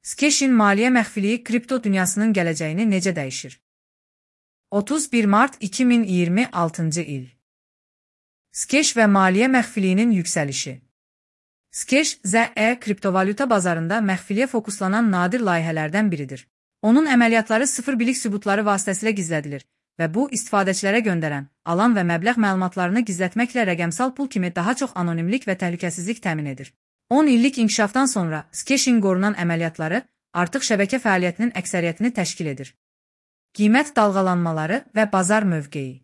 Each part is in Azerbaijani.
Skeshin maliyyə məxfiliyi kripto dünyasının gələcəyini necə dəyişir? 31 mart 2026-cı il. Skesh və maliyyə məxfiliyinin yüksəlişi. Skesh, ZE kriptovalyuta bazarında məxfiliyə fokuslanan nadir layihələrdən biridir. Onun əməliyyatları sıfır bilik sübutları vasitəsilə gizlədilir və bu, istifadəçilərə göndərən, alan və məbləğ məlumatlarını gizlətməklə rəqəmsal pul kimi daha çox anonimlik və təhlükəsizlik təmin edir. 10 illik inkişafdan sonra Skeshin qorunan əməliyyatları artıq şəbəkə fəaliyyətinin əksəriyyətini təşkil edir. Qiymət dalğalanmaları və bazar mövqeyi.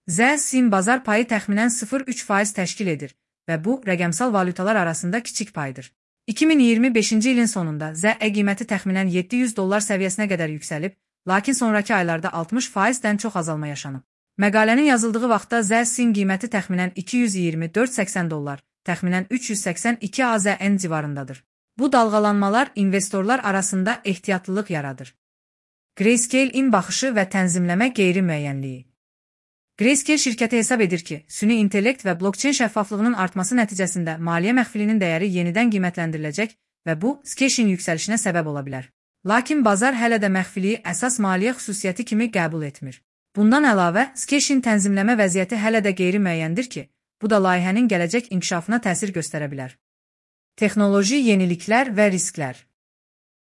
ZSIM bazar payı təxminən 0,3% təşkil edir və bu, rəqəmsal valyutalar arasında kiçik paydır. 2025-ci ilin sonunda ZE qiyməti təxminən $700 səviyyəsinə qədər yüksəlib, lakin sonraki aylarda 60%-dən çox azalma yaşanıb. Məqalənin yazıldığı vaxtda ZSIM qiyməti təxminən $224.80, təxminən 382 AZN civarındadır. Bu dalğalanmalar investorlar arasında ehtiyatlılıq yaradır. Grayscale-in baxışı və tənzimləmə qeyri-müəyyənliyi. Grayscale şirkəti hesab edir ki, süni intellekt və blockchain şəffaflığının artması nəticəsində maliyyə məxfilinin dəyəri yenidən qiymətləndiriləcək və bu, Skeshin yüksəlişinə səbəb ola bilər. Lakin bazar hələ də məxfiliyi əsas maliyyə xüsusiyyəti kimi qəbul etmir. Bundan əlavə, Skeshin tənzimləmə vəziyyəti hələ də qeyri-müəyyəndir ki, bu da layihənin gələcək inkişafına təsir göstərə bilər. Texnoloji yeniliklər və risklər.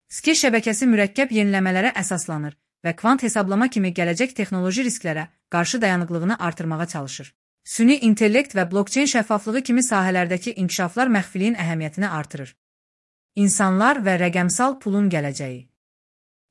Skesh şəbəkəsi mürəkkəb yeniləmələrə əsaslanır və kvant hesablama kimi gələcək texnoloji risklərə qarşı dayanıqlığını artırmağa çalışır. Süni intellekt və blockchain şəffaflığı kimi sahələrdəki inkişaflar məxfiliyin əhəmiyyətini artırır. İnsanlar və rəqəmsal pulun gələcəyi.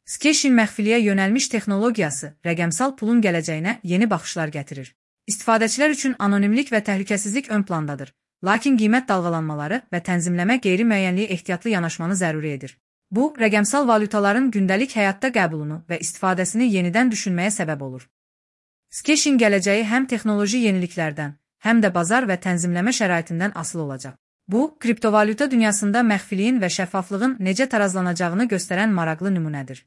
Skeshin məxfiliyə yönəlmiş texnologiyası rəqəmsal pulun gələcəyinə yeni baxışlar gətirir. İstifadəçilər üçün anonimlik və təhlükəsizlik ön plandadır, lakin qiymət dalğalanmaları və tənzimləmə qeyri-müəyyənliyi ehtiyatlı yanaşmanı zəruri edir. Bu, rəqəmsal valyutaların gündəlik həyatda qəbulunu və istifadəsini yenidən düşünməyə səbəb olur. Skeshin gələcəyi həm texnoloji yeniliklərdən, həm də bazar və tənzimləmə şəraitindən asılı olacaq. Bu, kriptovalyuta dünyasında məxfiliyin və şəffaflığın necə tarazlanacağını göstərən maraqlı nümunədir.